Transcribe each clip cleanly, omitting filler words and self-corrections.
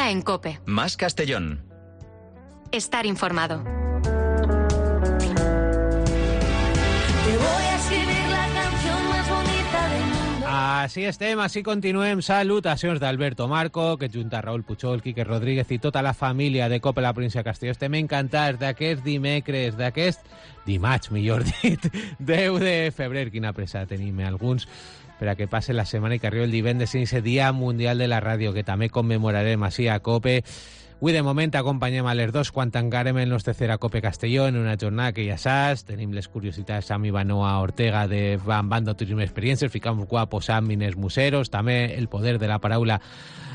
Ahora en COPE. Más Castellón. Estar informado. Així estem, així continuem. Salutacions d'Alberto Marco, que junta Raúl Puchol, Quique Rodríguez i tota la família de COPE la província de Castelló. Estem encantats d'aquest dimecres, d'aquest dimarts, millor dit, 10 de febrer. Quina pressa tenim alguns per a que passe la setmana i que arribi el divendres en aquest Dia Mundial de la Ràdio, que també commemorarem així a COPE. Avui, de moment, acompanyem a les 2 quan tancarem el nostre Cera COPE Castelló en una jornada que ja saps. Tenim les curiositats amb Ivanoa Ortega de Bando Turisme Experiències, ficamos guapos amb Inés Museros, també el poder de la paraula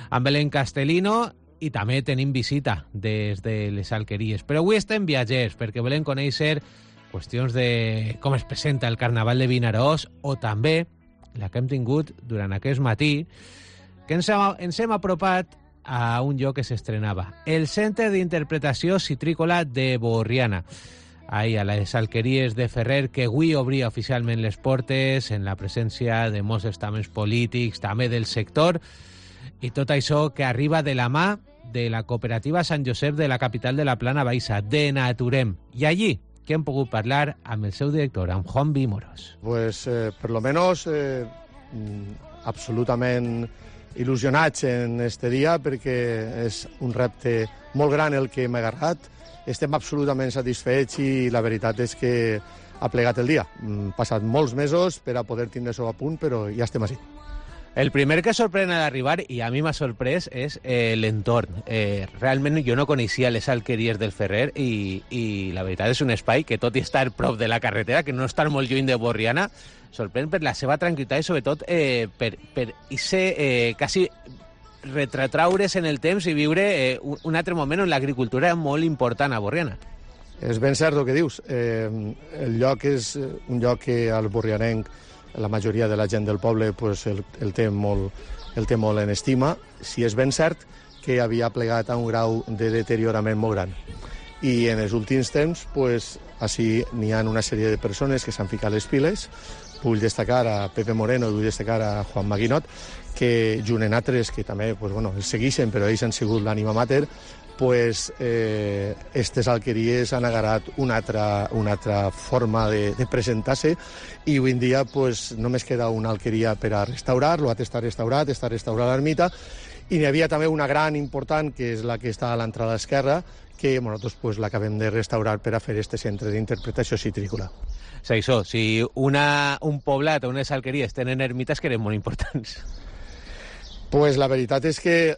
amb Belén Castellino i també tenim visita des de les Alqueries. Però avui estem viatgers perquè volem conèixer qüestions de com es presenta el Carnaval de Vinaròs o també la que hem tingut durant aquest matí, que ens hem apropat a un lloc que s'estrenava, el Centre d'Interpretació Citrícola de Borriana, ahí a les Alqueries de Ferrer, que avui obria oficialment les portes en la presència de molts estaments polítics, també del sector, i tot això que arriba de la mà de la cooperativa Sant Josep de la capital de la Plana Baixa, de Naturem. I allí que hem pogut parlar amb el seu director, amb Juan Moros. Pues per lo menos absolutament il·lusionats en este dia perquè és un repte molt gran el que hem agarrat. Estem absolutament satisfets i la veritat és que ha plegat el dia. Han passat molts mesos per a poder tindre-ho a punt, però ja estem així. El primer que sorprèn a l'arribar, i a mi m'ha sorprès, és l'entorn. Realment jo no coneixia les Alqueries del Ferrer i la veritat és un espai que, tot i estar prop de la carretera, que no està molt lluny de Borriana, sorprèn per la seva tranquil·litat i sobretot per quasi retratraure's en el temps i viure un altre moment on l'agricultura és molt important a Borriana. És ben cert el que dius. El lloc és un lloc que al borrianenc la majoria de la gent del poble pues, el té molt en estima. Si és ben cert que havia plegat a un grau de deteriorament molt gran. I en els últims temps, pues, així n'hi ha una sèrie de persones que s'han ficat les piles. Vull destacar a Pepe Moreno, vull destacar a Juan Maguinot, que junt en altres, que també pues, bueno, els segueixen, però ells han sigut l'ànima mater, pues, estes alqueries han agarrat una altra forma de presentar-se i avui en dia pues, només queda una alqueria per a restaurar, l'altre està restaurat l'ermita, i n'hi havia també una gran important, que és la que està a l'entrada esquerra, que nosaltres pues, l'acabem de restaurar per a fer este centre d'interpretació citrícola. Sí, això, si un poblat o unes alqueries tenen ermites que eren molt importants. Pues la veritat és que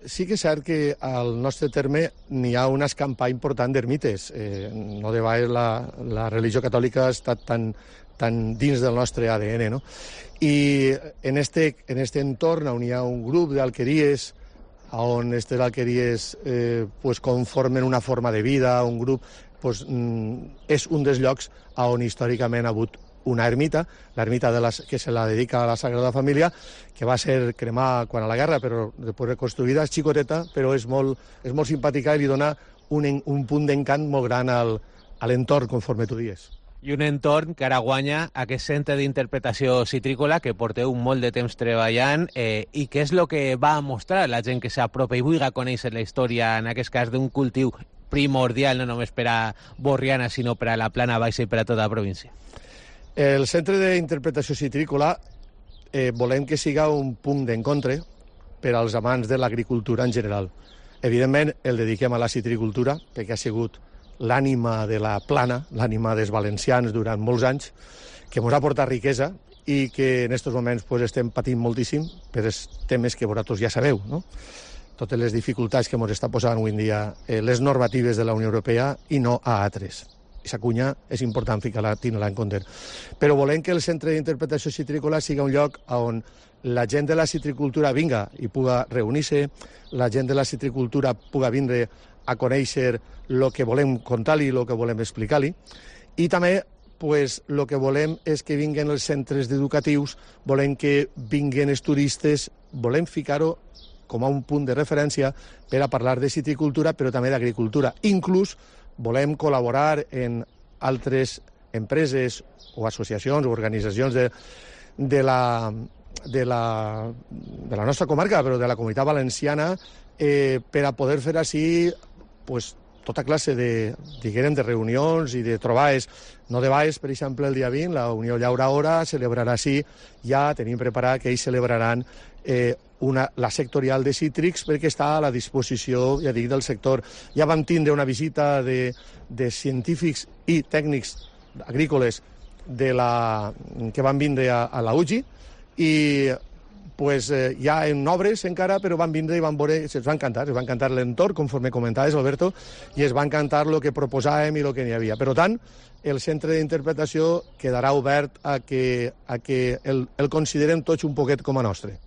sí que és cert que al nostre terme n'hi ha un escampar important d'ermites. No de vegades la religió catòlica ha estat tan dins del nostre ADN, no? I en este entorn on hi ha un grup d'alqueries, on aquestes alqueries pues, conformen una forma de vida, un grup, pues, és un dels llocs on històricament ha hagut una ermita, l'ermita que se la dedica a la Sagrada Família, que va ser cremada quan a la guerra, però després reconstruïda, és xicoteta, però és molt simpàtica i li dona un punt d'encant molt gran a l'entorn, conforme tu dius. I un entorn que ara guanya aquest centre d'interpretació citrícola que porteu molt de temps treballant i que és el que va mostrar la gent que s'apropa i vulgui conèixer la història, en aquest cas, d'un cultiu primordial, no només per a Borriana, sinó per a la Plana Baixa i per a tota la província. El centre d'interpretació citrícola volem que siga un punt d'encontre per als amants de l'agricultura en general. Evidentment, el dediquem a la citricultura, perquè ha sigut l'ànima de la Plana, l'ànima dels valencians durant molts anys, que ens ha portat riquesa i que en aquests moments pues, estem patint moltíssim per els temes que vosaltres ja sabeu, no? Totes les dificultats que ens està posant avui en dia les normatives de la Unió Europea i no a altres. Aquesta cunya és important tenir-la en compte. Però volem que el centre d'interpretació citrícola siga un lloc on la gent de la citricultura vinga i puga reunir-se, la gent de la citricultura puga vindre a conèixer el que volem contar-li, el que volem explicar-li, i també pues, el que volem és que vinguen els centres educatius, volem que vinguen els turistes, volem ficar-ho com a un punt de referència per a parlar de citricultura, però també d'agricultura. Inclús volem col·laborar en altres empreses o associacions o organitzacions de la nostra comarca, però de la Comunitat Valenciana, per a poder fer així pues, tota classe de reunions i de trobades. No de Baix, per exemple, el dia 20, la Unió Llaura celebrarà així, ja tenim preparat que ells celebraran la sectorial de cítrics perquè està a la disposició, ja dic, del sector. Ja vam tindre una visita de científics i tècnics agrícoles que van vindre a la UGI i pues, ja en obres encara, però van vindre i van veure, es va encantar l'entorn, conforme comentaves, Alberto, i es va encantar el que proposàvem i el que n'hi havia. Per tant, el centre d'interpretació quedarà obert a que el considerem tots un poquet com a nostre.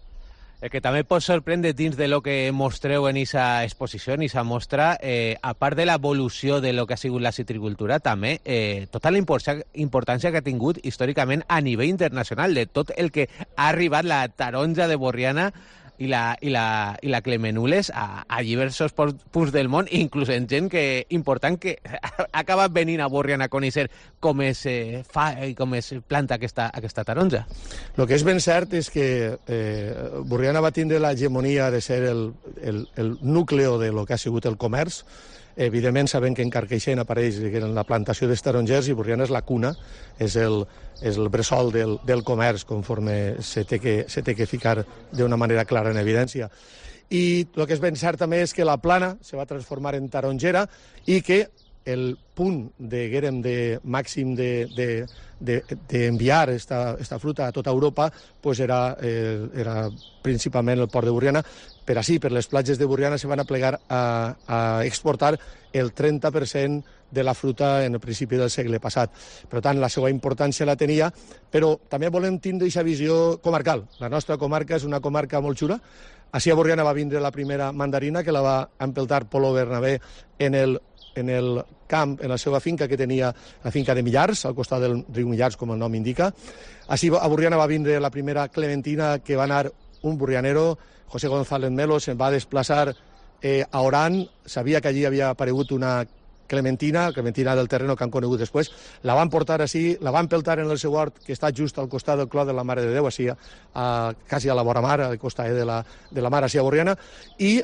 El que també pot sorprendre dins de lo que mostreu en aquesta exposició, en aquesta mostra, a part de l'evolució de lo que ha sigut la citricultura, també tota la importància que ha tingut històricament a nivell internacional, de tot el que ha arribat la taronja de Borriana i la Clemenules a diversos punts del món, inclús en gent important que ha acabat venint a Borriana a conèixer com es fa i com es planta aquesta taronja. El que és ben cert és que Borriana va tindre l'hegemonia de ser el núcleo de lo que ha sigut el comerç. Evidentment sabem que en Carcaixent apareix la plantació dels tarongers i Borriana és la cuna, és el bressol del comerç, conforme se té que ficar d'una manera clara en evidència. I el que és ben cert també és que la plana se va transformar en tarongera i que el punt de màxim d'enviar esta fruta a tota Europa pues era principalment el port de Borriana. Per així, per les platges de Borriana se van aplegar a exportar el 30% de la fruta en el principi del segle passat. Per tant, la seva importància la tenia, però també volem tindre aquesta visió comarcal. La nostra comarca és una comarca molt xula. Així a Borriana va vindre la primera mandarina, que la va empeltar Polo Bernabé en el camp, en la seva finca que tenia, la finca de Millars, al costat del riu Millars, com el nom indica. Així a Borriana va vindre la primera clementina, que va anar un borrianero, José González Melo, se'n va desplaçar a Oran, sabia que allí havia aparegut una clementina del terreno que han conegut després, la van portar així, la van peltar en el seu hort, que està just al costat del Clot de la Mare de Déu, així, quasi a la vora mar, al costat de la mar, així a Borriana, i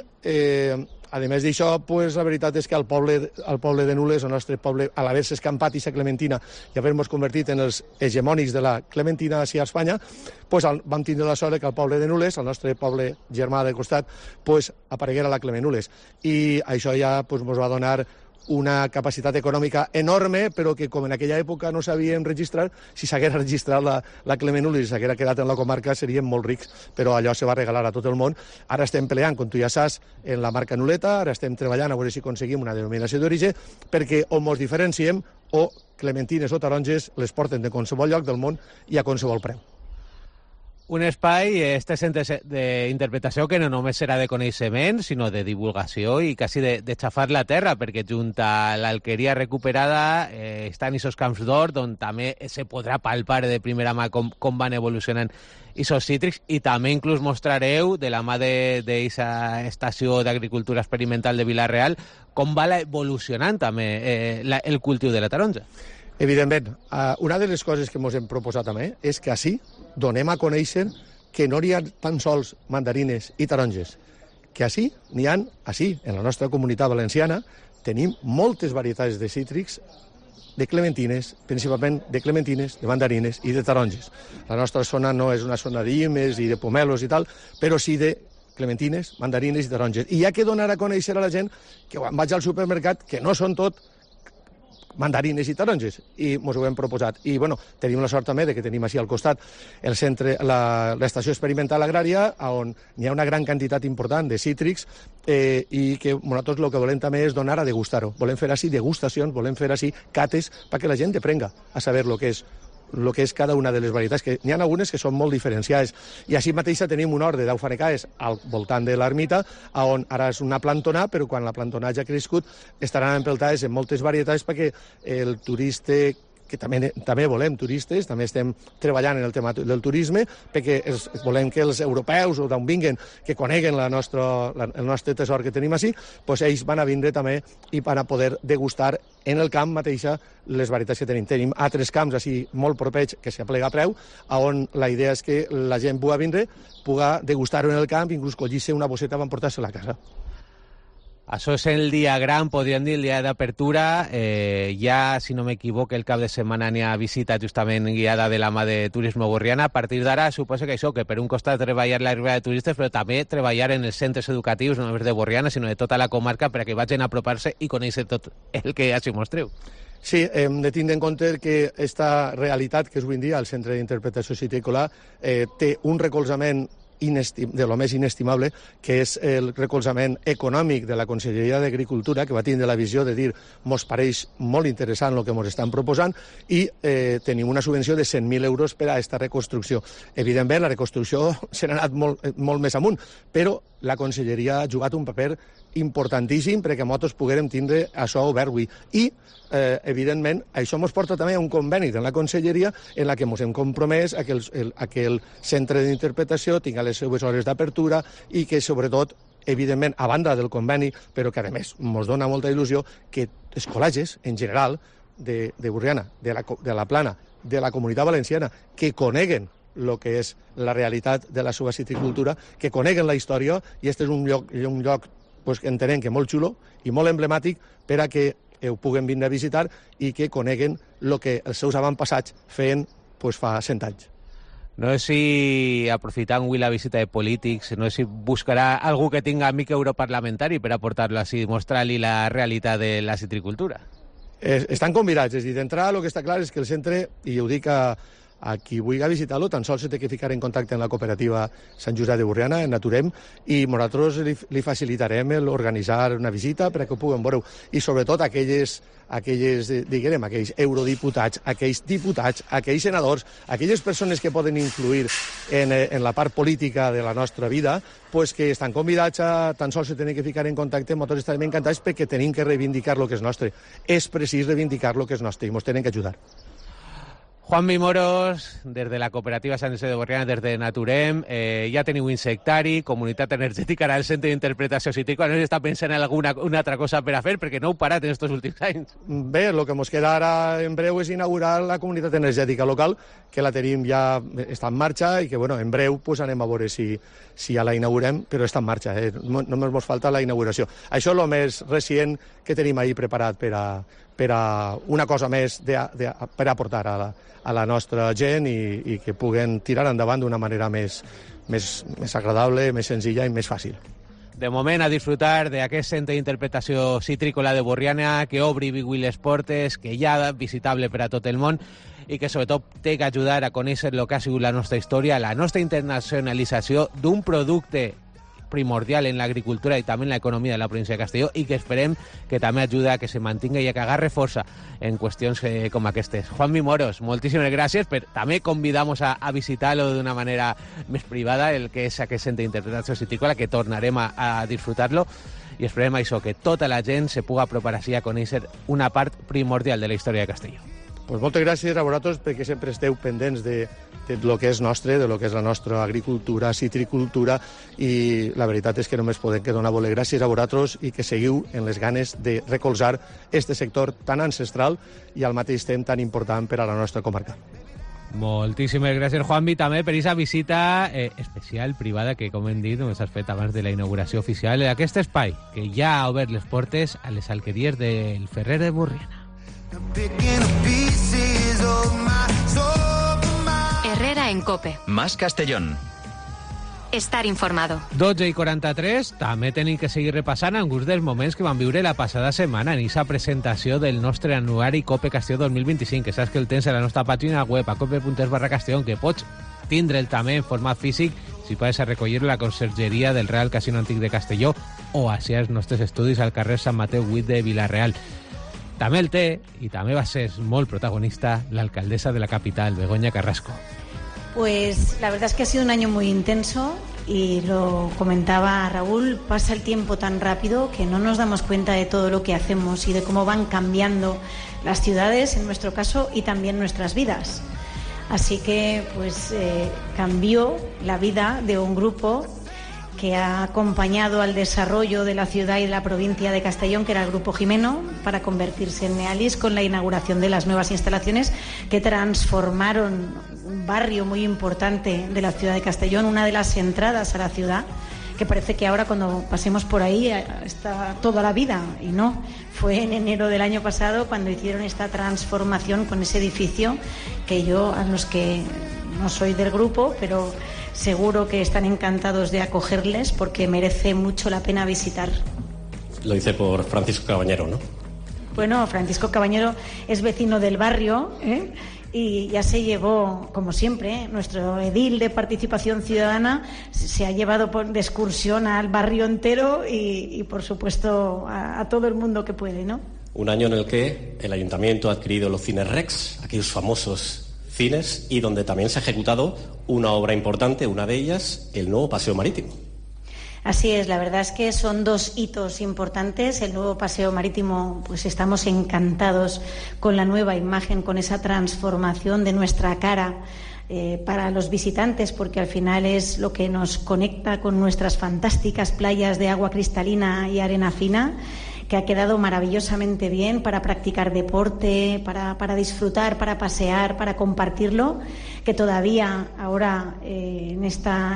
a més d'això, pues, la veritat és que el poble de Nules, el nostre poble, a l'haver-se escampat aquesta clementina i haver-nos convertit en els hegemònics de la clementina així a Espanya, pues, vam tindre la sort que el poble de Nules, el nostre poble germà de costat, pues, apareguera la Clemenules. I això ja pues, ens va donar una capacitat econòmica enorme, però que com en aquella època no sabíem registrar, si s'haguera registrat la Clemenules i s'haguera quedat en la comarca seríem molt rics, però allò se va regalar a tot el món. Ara estem peleant, com tu ja saps, en la marca Nuleta, ara estem treballant a veure si aconseguim una denominació d'origen, perquè on ens diferenciem, o clementines o taronges les porten de qualsevol lloc del món i a qualsevol preu. Un espai, este centre d'interpretació, que no només serà de coneixement, sinó de divulgació i quasi de xafar la terra, perquè junt a l'alqueria recuperada estan aquests camps d'or, on també se podrà palpar de primera mà com van evolucionant aquests cítrics, i també inclús mostrareu, de la mà d'aquesta estació d'agricultura experimental de Vila-real, com va evolucionant també el cultiu de la taronja. Evidentment, una de les coses que ens hem proposat també és que així donem a conèixer que no hi ha tan sols mandarines i taronges, que així n'hi ha, així, en la nostra comunitat valenciana, tenim moltes varietats de cítrics, de clementines, principalment de clementines, de mandarines i de taronges. La nostra zona no és una zona d'Imes i de pomelos i tal, però sí de clementines, mandarines i taronges. I hi ha que donar a conèixer a la gent que quan vaig al supermercat, que no són tot mandarines i taronges, i ens ho hem proposat. I, bueno, tenim la sort també de que tenim així al costat el centre, l'estació experimental agrària, on hi ha una gran quantitat important de cítrics i que nosaltres el que volem també és donar a degustar-ho. Volem fer així degustacions, volem fer així cates perquè la gent aprenga a saber el que és cada una de les varietats, que n'hi ha algunes que són molt diferenciades. I així mateix tenim un hort de 10 fanecaes al voltant de l'ermita, on ara és una plantona, però quan la plantona ja ha crescut estaran empeltades en moltes varietats perquè el turista, que també volem turistes, també estem treballant en el tema del turisme, perquè volem que els europeus o d'on vinguen, que coneguen el nostre tesor que tenim així, doncs ells van a vindre també i van a poder degustar en el camp mateixa les varietats que tenim. Tenim altres camps així molt propers que s'aplega a preu, on la idea és que la gent pugui vindre, pugui degustar-ho en el camp, inclús collir-se una bosseta per emportar-se a la casa. Això és el dia gran, podríem dir, el dia d'apertura. Ja, si no m'equivoco, el cap de setmana n'hi ha visita justament guiada de la mà de Turisme Borriana. A partir d'ara, suposo que això, que per un costat treballar l'arribada de turistes, però també treballar en els centres educatius, no només de Borriana, sinó de tota la comarca, perquè vagin a apropar-se i conèixer tot el que ja s'hi mostreu. Sí, hem de tindre en compte que aquesta realitat que és avui en dia el Centre d'Interpretació Citrícola té un recolzament de lo més inestimable, que és el recolzament econòmic de la Conselleria d'Agricultura, que va tindre la visió de dir mos pareix molt interessant el que ens estan proposant i tenim una subvenció de 100.000 euros per a aquesta reconstrucció. Evidentment, la reconstrucció se n'ha anat molt més amunt, però la Conselleria ha jugat un paper importantíssim perquè nosaltres poguérem tindre això obert avui. I, evidentment, això ens porta també a un conveni de la Conselleria en la que ens hem compromès a que el centre d'interpretació tingui les seves hores d'apertura i que, sobretot, evidentment, a banda del conveni, però que, a més, ens dona molta il·lusió que els col·legis, en general, de Borriana, de la Plana, de la Comunitat Valenciana, que coneguen el que és la realitat de la seva citricultura, que coneguen la història, i aquest és un lloc pues, que entenem que molt xulo i molt emblemàtic per a que ho puguen vindre a visitar i que coneguen el que els seus avantpassats feien pues, fa 100 anys. No sé si, aprofitant avui la visita de polítics, no sé si buscarà algú que tinga amic europarlamentari per aportar-lo així, mostrar-li la realitat de la citricultura. Estan convidats, és a dir, d'entrada el que està clar és que el centre, i ho dic a qui vulgui visitar-lo, tan sols se té que ficar en contacte amb la cooperativa Sant Josep de Borriana, en Naturem, i nosaltres li facilitarem organitzar una visita perquè ho puguem veure. I sobretot aquells eurodiputats, aquells diputats, aquells senadors, aquelles persones que poden influir en la part política de la nostra vida, pues que estan convidats a tan sols se tenen que ficar en contacte, nosaltres estarem encantats perquè tenim que reivindicar el que és nostre. És precís reivindicar el que és nostre i ens tenen que ajudar. Juanmi Moros, des de la cooperativa Sant Josep de Borriana, des de Naturem, ja teniu insectari, comunitat energètica, ara el centre d'interpretació citrícola, no s'està pensant en una altra cosa per a fer, perquè no heu parat en aquests últims anys. Bé, el que ens queda ara en breu és inaugurar la comunitat energètica local, que la tenim ja, està en marxa, i que bueno, en breu pues, anem a veure si ja la inaugurem, però està en marxa, només ens falta la inauguració. Això és el més recient que tenim ahir preparat per a una cosa més per aportar a la nostra gent i que puguen tirar endavant d'una manera més agradable, més senzilla i més fàcil. De moment, a disfrutar d'aquest centre d'interpretació citrícola de Borriana, que obri avui les portes, que ja és visitable per a tot el món i que sobretot té que ajudar a conèixer el que ha sigut la nostra història, la nostra internacionalització d'un producte primordial en l'agricultura i també en l'economia de la província de Castelló i que esperem que també ajuda a que se mantingui i a que agarre força en qüestions com aquestes. Juanmi Moros, moltíssimes gràcies, però també convidamos a visitar-lo d'una manera més privada, el que és aquest centre d'interpretació citrícola, que tornarem a disfrutar-lo i esperem això, que tota la gent se pugui apropar així a conèixer una part primordial de la història de Castelló. Pues moltes gràcies a vosaltres perquè sempre esteu pendents de lo que és nostre, de lo que és la nostra agricultura, citricultura, i la veritat és que només podem que donar gràcies a vosaltres i que seguiu en les ganes de recolzar este sector tan ancestral i al mateix temps tan important per a la nostra comarca. Moltíssimes gràcies, Juanmi, també per aquesta visita especial, privada, que, com hem dit, només has fet abans de la inauguració oficial d'aquest espai, que ja ha obert les portes a les alqueries del Ferrer de Borriana. Herrera en COPE. Más Castellón. Estar informado. 12:43, també tenim que seguir repassant alguns dels moments que van viure la passada setmana en aquesta presentació del nostre anuari COPE Castelló 2025, que saps que el tens a la nostra pàgina web, a cope.es/Castellón, que pots tindre'l també en format físic si podes recollir-lo a la consergeria del Real Casino Antic de Castelló o així als nostres estudis al carrer Sant Mateu 8 de Vilareal. També el té, i també va ser molt protagonista, la alcaldesa de la capital, Begoña Carrasco. Pues la verdad es que ha sido un año muy intenso y lo comentaba Raúl, pasa el tiempo tan rápido que no nos damos cuenta de todo lo que hacemos y de cómo van cambiando las ciudades, en nuestro caso, y también nuestras vidas. Así que pues cambió la vida de un grupo que ha acompañado al desarrollo de la ciudad y de la provincia de Castellón, que era el Grupo Jimeno, para convertirse en Nealis con la inauguración de las nuevas instalaciones que transformaron un barrio muy importante de la ciudad de Castellón, una de las entradas a la ciudad, que parece que ahora cuando pasemos por ahí está toda la vida, y no, fue en enero del año pasado cuando hicieron esta transformación con ese edificio que yo, a los que no soy del grupo, pero seguro que están encantados de acogerles porque merece mucho la pena visitar. Lo dice por Francisco Cabañero, ¿no? Bueno, Francisco Cabañero es vecino del barrio, y ya se llevó, como siempre, nuestro edil de Participación Ciudadana se ha llevado de excursión al barrio entero y por supuesto, a todo el mundo que puede, ¿no? Un año en el que el Ayuntamiento ha adquirido los Cines Rex, aquellos famosos cines, y donde también se ha ejecutado una obra importante, una de ellas, el nuevo Paseo Marítimo. Así es, la verdad es que son dos hitos importantes. El nuevo Paseo Marítimo, pues estamos encantados con la nueva imagen, con esa transformación de nuestra cara para los visitantes, porque al final es lo que nos conecta con nuestras fantásticas playas de agua cristalina y arena fina, que ha quedado maravillosamente bien para practicar deporte, para disfrutar, para pasear, para compartirlo, que todavía ahora en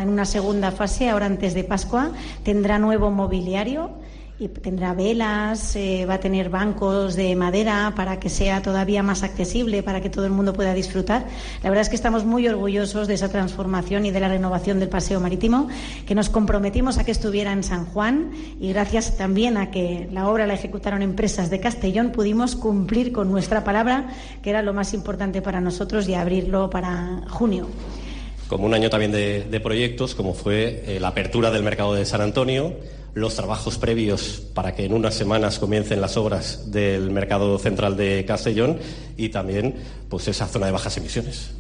una segunda fase, ahora antes de Pascua, tendrá nuevo mobiliario y tendrá velas, va a tener bancos de madera para que sea todavía más accesible, para que todo el mundo pueda disfrutar. La verdad es que estamos muy orgullosos de esa transformación y de la renovación del Paseo Marítimo, que nos comprometimos a que estuviera en San Juan, y gracias también a que la obra la ejecutaron empresas de Castellón, pudimos cumplir con nuestra palabra, que era lo más importante para nosotros, y abrirlo para junio. Como un año también de proyectos, como fue la apertura del mercado de San Antonio, los trabajos previos para que en unas semanas comiencen las obras del mercado central de Castellón, y también pues esa zona de bajas emisiones.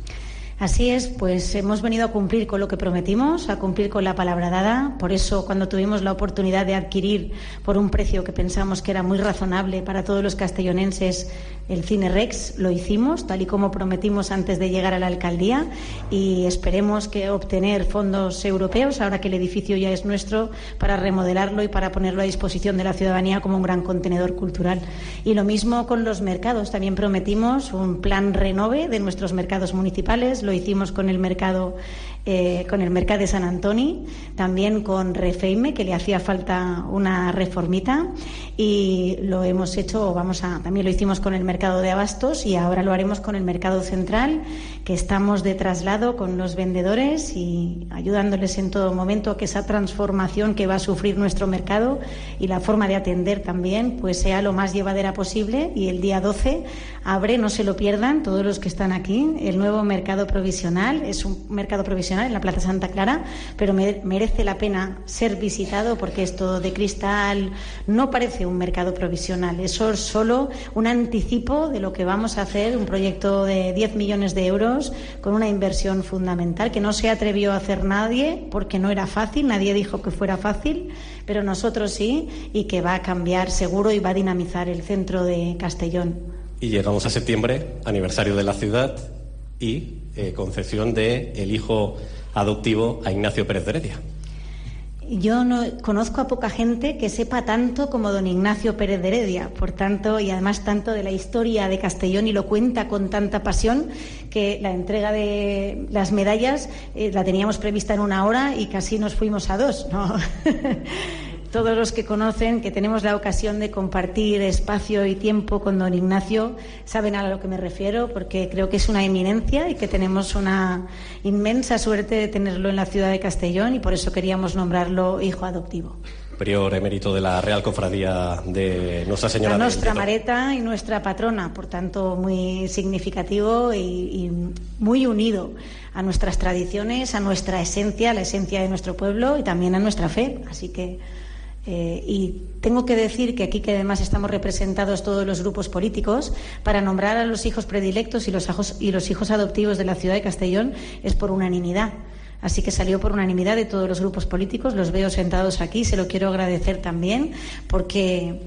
Así es, pues hemos venido a cumplir con lo que prometimos, a cumplir con la palabra dada. Por eso, cuando tuvimos la oportunidad de adquirir por un precio que pensamos que era muy razonable para todos los castellonenses el Cine Rex, lo hicimos, tal y como prometimos antes de llegar a la alcaldía, y esperemos que obtener fondos europeos, ahora que el edificio ya es nuestro, para remodelarlo y para ponerlo a disposición de la ciudadanía como un gran contenedor cultural. Y lo mismo con los mercados, también prometimos un plan renove de nuestros mercados municipales. Lo hicimos con el mercado de San Antoni, también con Refeime, que le hacía falta una reformita, y lo hemos hecho, también lo hicimos con el mercado de Abastos, y ahora lo haremos con el mercado central, que estamos de traslado con los vendedores y ayudándoles en todo momento a que esa transformación que va a sufrir nuestro mercado y la forma de atender también pues sea lo más llevadera posible. Y el día 12 abre, no se lo pierdan todos los que están aquí, el nuevo mercado provisional. Es un mercado provisional en la Plaza Santa Clara, pero merece la pena ser visitado, porque esto de cristal no parece un mercado provisional, eso es solo un anticipo de lo que vamos a hacer, un proyecto de 10 millones de euros con una inversión fundamental que no se atrevió a hacer nadie, porque no era fácil, nadie dijo que fuera fácil, pero nosotros sí, y que va a cambiar seguro y va a dinamizar el centro de Castellón. Y llegamos a septiembre, aniversario de la ciudad y concesión de el hijo adoptivo a Ignacio Pérez de Heredia. Yo no conozco a poca gente que sepa tanto como don Ignacio Pérez de Heredia, por tanto, y además tanto de la historia de Castellón, y lo cuenta con tanta pasión, que la entrega de las medallas la teníamos prevista en 1 hora y casi nos fuimos a 2, ¿no? Todos los que conocen, que tenemos la ocasión de compartir espacio y tiempo con don Ignacio, saben a lo que me refiero, porque creo que es una eminencia y que tenemos una inmensa suerte de tenerlo en la ciudad de Castellón, y por eso queríamos nombrarlo hijo adoptivo. Prior emérito de la Real Cofradía de Nuestra Señora. La Nostra Mareta y nuestra patrona, por tanto muy significativo y muy unido a nuestras tradiciones, a nuestra esencia, la esencia de nuestro pueblo y también a nuestra fe. Así que y tengo que decir que aquí, que además estamos representados todos los grupos políticos, para nombrar a los hijos predilectos y los hijos adoptivos de la ciudad de Castellón es por unanimidad. Así que salió por unanimidad de todos los grupos políticos. Los veo sentados aquí, se lo quiero agradecer también, porque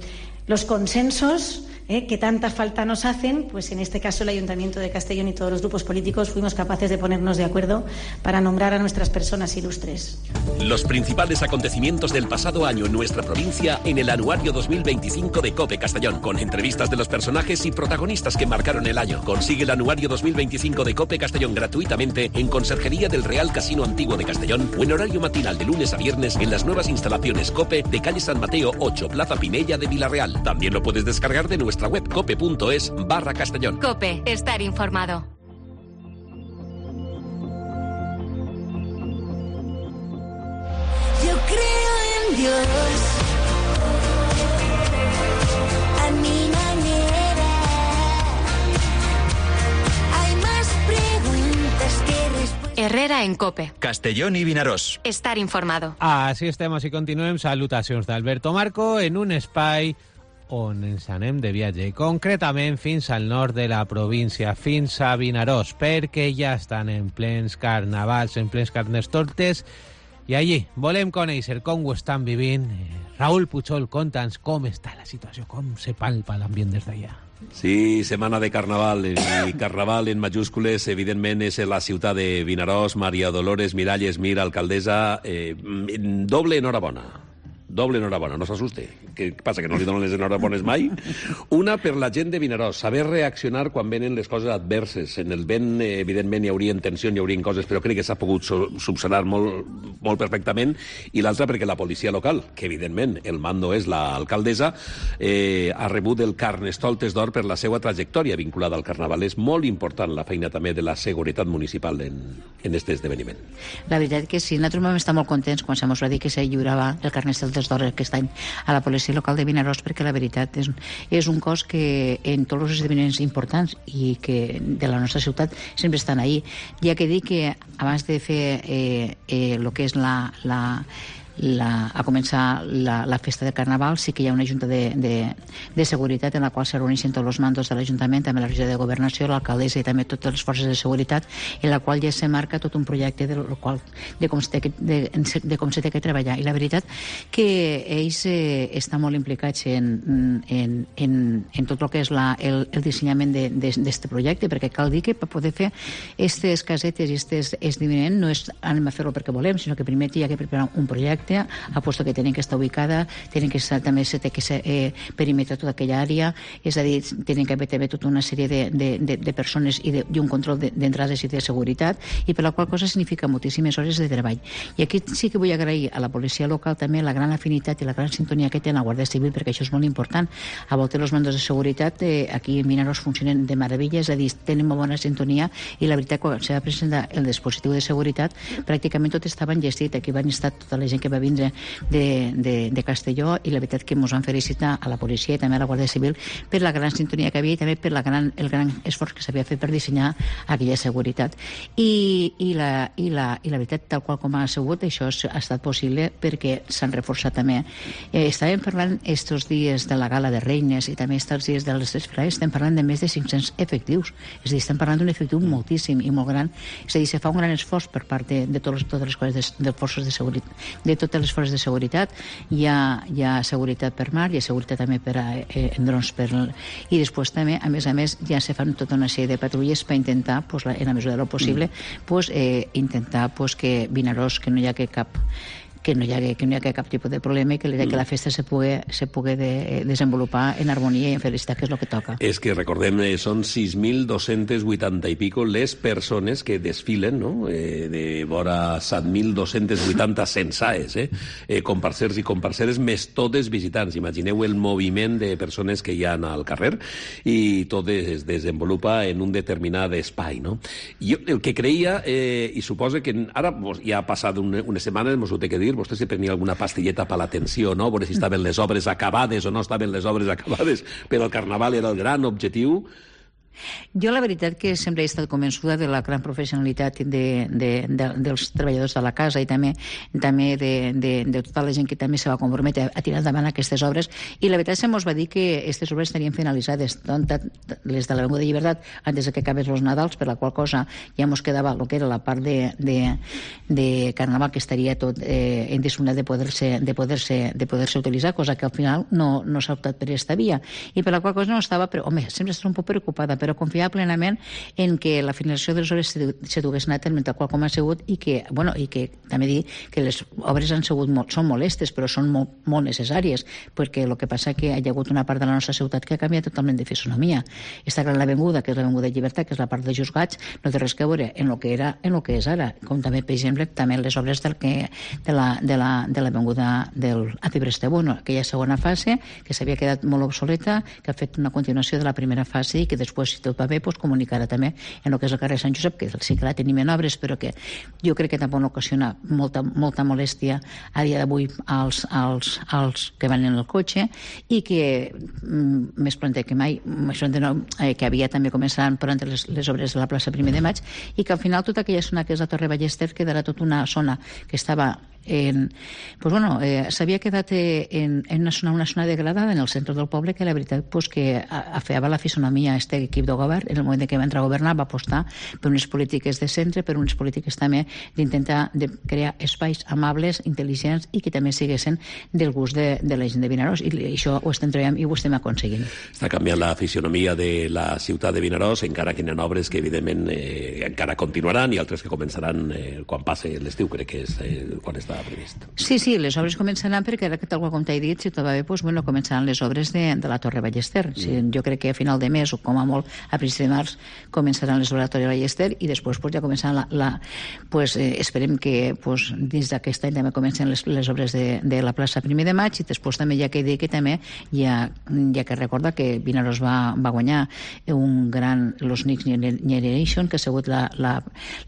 los consensos que tanta falta nos hacen, pues en este caso el Ayuntamiento de Castellón y todos los grupos políticos fuimos capaces de ponernos de acuerdo para nombrar a nuestras personas ilustres. Los principales acontecimientos del pasado año en nuestra provincia en el anuario 2025 de COPE Castellón, con entrevistas de los personajes y protagonistas que marcaron el año. Consigue el anuario 2025 de COPE Castellón gratuitamente en Conserjería del Real Casino Antiguo de Castellón o en horario matinal de lunes a viernes en las nuevas instalaciones COPE de calle San Mateo 8, Plaza Pinella de Villarreal. También lo puedes descargar de nuestra web cope.es/Castellón. COPE, estar informado. Yo creo en Dios, a mi manera. Hay más preguntas que respuestas. Herrera en COPE. Castellón i Vinaròs. Estar informado. Així estem, així continuem. Salutacions d'Alberto Marco en un espai on ens anem de viatge, i concretament fins al nord de la província, fins a Vinaròs, perquè ja estan en plens carnavals, en plens carnestoltes, i allí volem conèixer com ho estan vivint. Raúl Puchol, conta'ns com està la situació, com se palpa l'ambient des d'allà. Sí, setmana de carnaval, i carnaval en majúscules, evidentment, és la ciutat de Vinaròs. Maria Dolores Miralles Mir, alcaldessa, doble enhorabona. Doble enhorabona, no s'assuste. Què passa, que no li donen les enhorabones mai? Una per la gent de Vinaròs, saber reaccionar quan venen les coses adverses. En el vent, evidentment, hi haurien tensions, hi haurien coses, però crec que s'ha pogut subsanar molt perfectament. I l'altra perquè la policia local, que evidentment el mando és l'alcaldessa, ha rebut el Carnestoltes d'Or per la seva trajectòria vinculada al Carnaval. És molt important la feina també de la seguretat municipal en aquest esdeveniment. La veritat que sí, nosaltres vam estar molt contents quan se mos va dir que se lliurava el Carnestoltes d'Or aquest any a la policia local de Vinaròs, perquè la veritat és un cos que en tots els esdeveniments importants i que de la nostra ciutat sempre estan ahí. Ja que dic que abans de fer el que és a començar la festa de Carnaval, sí que hi ha una junta de seguretat en la qual se reuneixen tots els mandos de l'Ajuntament, també la regió de Governació, l'alcaldessa i també totes les forces de seguretat, en la qual ja se marca tot un projecte de com s'ha de treballar. I la veritat que ells estan molt implicats en tot el que és el dissenyament d'aquest projecte, perquè cal dir que per poder fer aquestes casetes i aquest esdeveniment no és anem a fer-lo perquè volem, sinó que primer hi ha que preparar un projecte, aposto que tenen que estar ubicada, tenen que estar també perimetrar tota aquella àrea, és a dir, tenen que haver també tota una sèrie de persones i un control d'entrades i de seguretat, i per la qual cosa significa moltíssimes hores de treball. I aquí sí que vull agrair a la policia local també la gran afinitat i la gran sintonia que té la Guàrdia Civil, perquè això és molt important. A voltes els mandos de seguretat aquí en Vinaròs funcionen de meravella, és a dir, tenen molt bona sintonia, i la veritat, quan se va presentar el dispositiu de seguretat, pràcticament tot estava enllestit. Aquí van estar tota la gent que va vindre de Castelló, i la veritat que ens van felicitar a la policia i també a la Guàrdia Civil per la gran sintonia que havia i també per el gran esforç que s'havia fet per dissenyar aquella seguretat. I la veritat, tal qual com ha sigut, això ha estat possible perquè s'han reforçat també. Estàvem parlant estos dies de la Gala de Reines i també estos dies de les desfilades, estem parlant de més de 500 efectius, és a dir, estem parlant d'un efectiu moltíssim i molt gran, és a dir, se fa un gran esforç per part de totes les coses de forces de seguretat, de totes les forces de seguretat. Hi ha seguretat per mar, hi ha seguretat també en drons i després també, a més, ja se fan tota una sèrie de patrulles per intentar, en la mesura del possible, intentar que Vinaròs, que no hi ha cap tipus de problema i que la festa se pugui desenvolupar en harmonia i en felicitat, que és el que toca. És que recordem, són 6.280 i pico les persones que desfilen, no? De vora 7.280 censades, comparsers i comparseres, més totes visitants. Imagineu el moviment de persones que hi ha al carrer, i tot es desenvolupa en un determinat espai, no? Jo el que creia, i suposo que ara ja ha passat unes setmanes, mos ho té que dir, vostè se prenia alguna pastilleta per l'atenció, no? Veure si estaven les obres acabades o no estaven les obres acabades, però el Carnaval era el gran objectiu. Jo la veritat que sempre he estat convençuda de la gran professionalitat dels treballadors de la casa i també de tota la gent que també se va comprometre a tirar endavant aquestes obres, i la veritat se'ns va dir que aquestes obres estarien finalitzades, les de l'Avinguda Llibertat antes de que acabés els Nadals, per la qual cosa ja ens quedava el que era la part de Carnaval, que estaria tot en disponibilitat de poder-se utilitzar, cosa que al final no s'ha optat per aquesta via, i per la qual cosa no estava, però home, sempre estava un poc preocupada, però confiava plenament en que la finalització de les obres se dugués a terme tal qual com ha sigut, i que també dir que les obres són molestes, però són molt necessàries, perquè el que passa que hi ha hagut una part de la nostra ciutat que ha canviat totalment de fisonomia. Esta gran avinguda, que és l'Avinguda Llibertat, que és la part de Juzgats, no té res a veure en el que era en el que és ara, com també, per exemple, també les obres de l'Avinguda del Api Brestebón, aquella segona fase que s'havia quedat molt obsoleta, que ha fet una continuació de la primera fase i que després, si tot va bé, comunicarà també en el que és el carrer Sant Josep, que sí que la tenim en obres, però que jo crec que tampoc no ocasiona molta molèstia a dia d'avui als que van en el cotxe, i que més prompte que mai que havia també començaran pront les obres de la plaça 1 de Maig, i que al final tota aquella zona que és la Torre Ballester quedarà tota una zona que estava s'havia quedat en una zona degradada en el centre del poble, que la veritat que afeava la fisonomia a aquest equip de govern. En el moment que va entrar a governar va apostar per unes polítiques de centre, per unes polítiques també d'intentar crear espais amables, intel·ligents, i que també siguessin del gust de la gent de Vinaròs, i això ho estem treballant i ho estem aconseguint. Està canviant la fisonomia de la ciutat de Vinaròs, encara que hi ha obres que evidentment encara continuaran, i altres que començaran quan passi l'estiu, crec que és quan està previst. Sí, les obres començaran, perquè ara que tal com t'he dit, si tot va bé, començaran les obres de la Torre Ballester. Jo crec que a final de mes, o com a molt a principi de març, començaran les obres de la Torre Ballester, i després ja començaran esperem que dins d'aquest any també comencen les obres de la plaça 1 de Maig, i després també hi ha que dir que també hi ha que recordar que Vinaròs va guanyar un gran Los Next Generation, que ha sigut la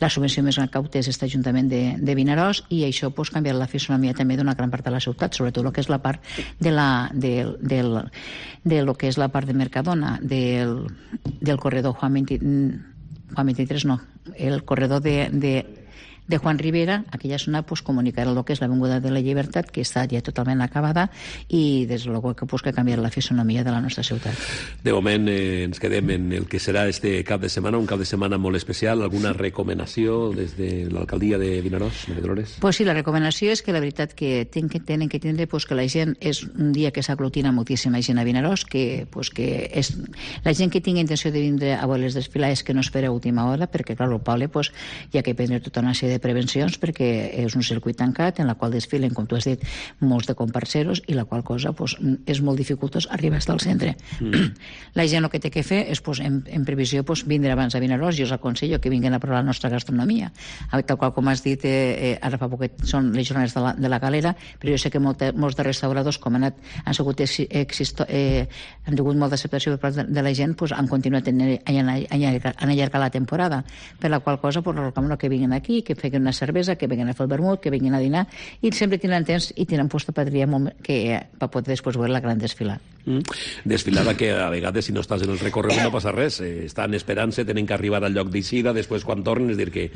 subvenció més gran que ha obtès aquest Ajuntament de Vinaròs, i això canviar la fisonomia també d'una gran part de la ciutat, sobretot el que és la part de lo que és la part de Mercadona, del corredor Juan 23, no, el corredor de Juan Rivera, aquella zona comunicarà el que és l'Avinguda de la Llibertat, que està ja totalment acabada, i des de luego que canviar la fisonomia de la nostra ciutat. De moment ens quedem en el que serà este cap de setmana, un cap de setmana molt especial. Alguna recomanació des de l'alcaldia de Vinaròs, Maria Dolores? Pues sí, la recomanació és que la veritat que tenen que tindre que la gent és un dia que s'aglutina moltíssima gent a Vinaròs, que és la gent que tingui intenció de vindre a veure les desfilades, que no espera a última hora, perquè clar, el poble hi ha que prendre tota una sèrie de prevencions, perquè és un circuit tancat en la qual desfilen, com tu has dit, molts de comparseros, i la qual cosa és molt dificultós arribar fins al centre. La gent el que té que fer és, en previsió, vindre abans a Vinaròs. Jo us aconsello que vinguin a provar la nostra gastronomia, tal qual com has dit, ara fa poquet són les jornades de la galera, però jo sé que molts de restauradors, com han tingut molta acceptació per part de la gent, han continuat a allargar la temporada, per la qual cosa recomano que vinguin aquí, que feguen una cervesa, que vinguin a fer el vermut, que vinguin a dinar, i sempre tenen temps i tenen posta per poder després veure la gran desfilada. Desfilada que a vegades, si no estàs en el recorregut, no passa res. Estan esperant-se, tenen que arribar al lloc d'eixida, després quan tornen, és dir, que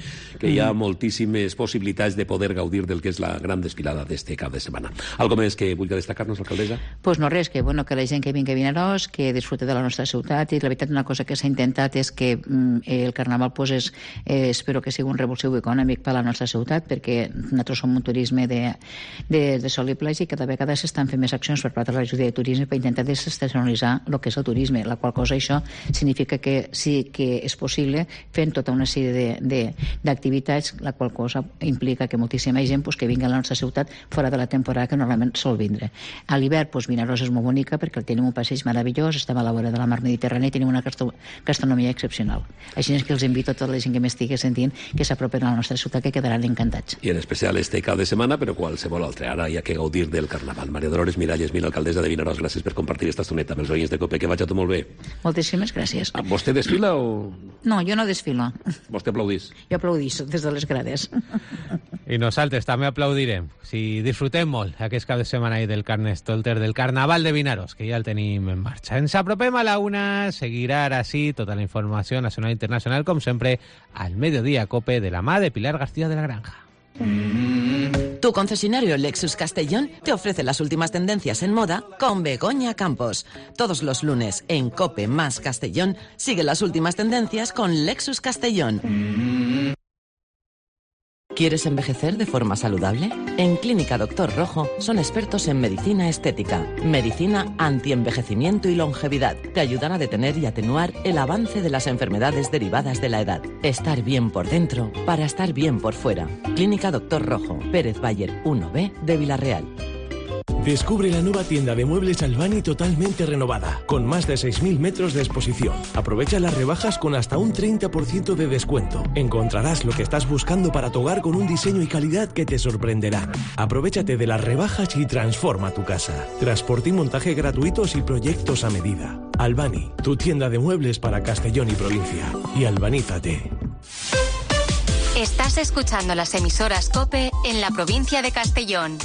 hi ha moltíssimes possibilitats de poder gaudir del que és la gran desfilada d'este cap de setmana. Algo més que vulgui destacar-nos, alcaldessa? Pues no res, que la gent que vingui a Vinaròs, que disfrute de la nostra ciutat, i la veritat una cosa que s'ha intentat és que el Carnaval espero que sigui un revulsiu econòmic per a la nostra ciutat, perquè nosaltres som un turisme de sol i platja, i cada vegada s'estan fent més accions per part de l'Ajuntament de Turisme per intentar desestacionalitzar el que és el turisme, la qual cosa això significa que sí que és possible fent tota una sèrie d'activitats, la qual cosa implica que moltíssima gent que vingui a la nostra ciutat fora de la temporada que normalment sol vindre. A l'hivern Vinaròs és molt bonica perquè tenim un passeig meravellós, estem a la vora de la mar Mediterrània i tenim una gastronomia excepcional. Així és que els invito a tota la gent que m'estigui sentint que s'apropen a la nostra ciutat, que quedaran encantats. I en especial este cap de setmana, però qualsevol altre. Ara hi ha que gaudir del Carnaval. Maria Dolores Miralles, alcaldessa de Vinaròs, gràcies per compartir esta estoneta amb els oients de COPE. Que vagi tot molt bé. Moltíssimes gràcies. Vostè desfila o...? No, jo no desfilo. Vostè aplaudís? Jo aplaudís des de les grades. I nosaltres també aplaudirem si disfrutem molt aquest cap de setmana del Carnestoltes del Carnaval de Vinaròs, que ja el tenim en marxa. Ens apropem a la 1, seguirà ara sí tota la informació nacional i internacional, com sempre, al Mediodía Cope, de la mà de Pilar García de la Granja. Tu concesionario Lexus Castellón te ofrece las últimas tendencias en moda con Begoña Campos. Todos los lunes en Cope más Castellón sigue las últimas tendencias con Lexus Castellón. ¿Quieres envejecer de forma saludable? En Clínica Doctor Rojo son expertos en medicina estética, medicina antienvejecimiento y longevidad. Te ayudan a detener y atenuar el avance de las enfermedades derivadas de la edad. Estar bien por dentro para estar bien por fuera. Clínica Doctor Rojo, Pérez Bayer 1B de Villarreal. Descubre la nueva tienda de muebles Albani totalmente renovada, con más de 6.000 metros de exposición. Aprovecha las rebajas con hasta un 30% de descuento. Encontrarás lo que estás buscando para tu hogar con un diseño y calidad que te sorprenderán. Aprovechate de las rebajas y transforma tu casa. Transporte y montaje gratuitos y proyectos a medida. Albani, tu tienda de muebles para Castellón y provincia. Y albanízate. Estás escuchando las emisoras COPE en la provincia de Castellón.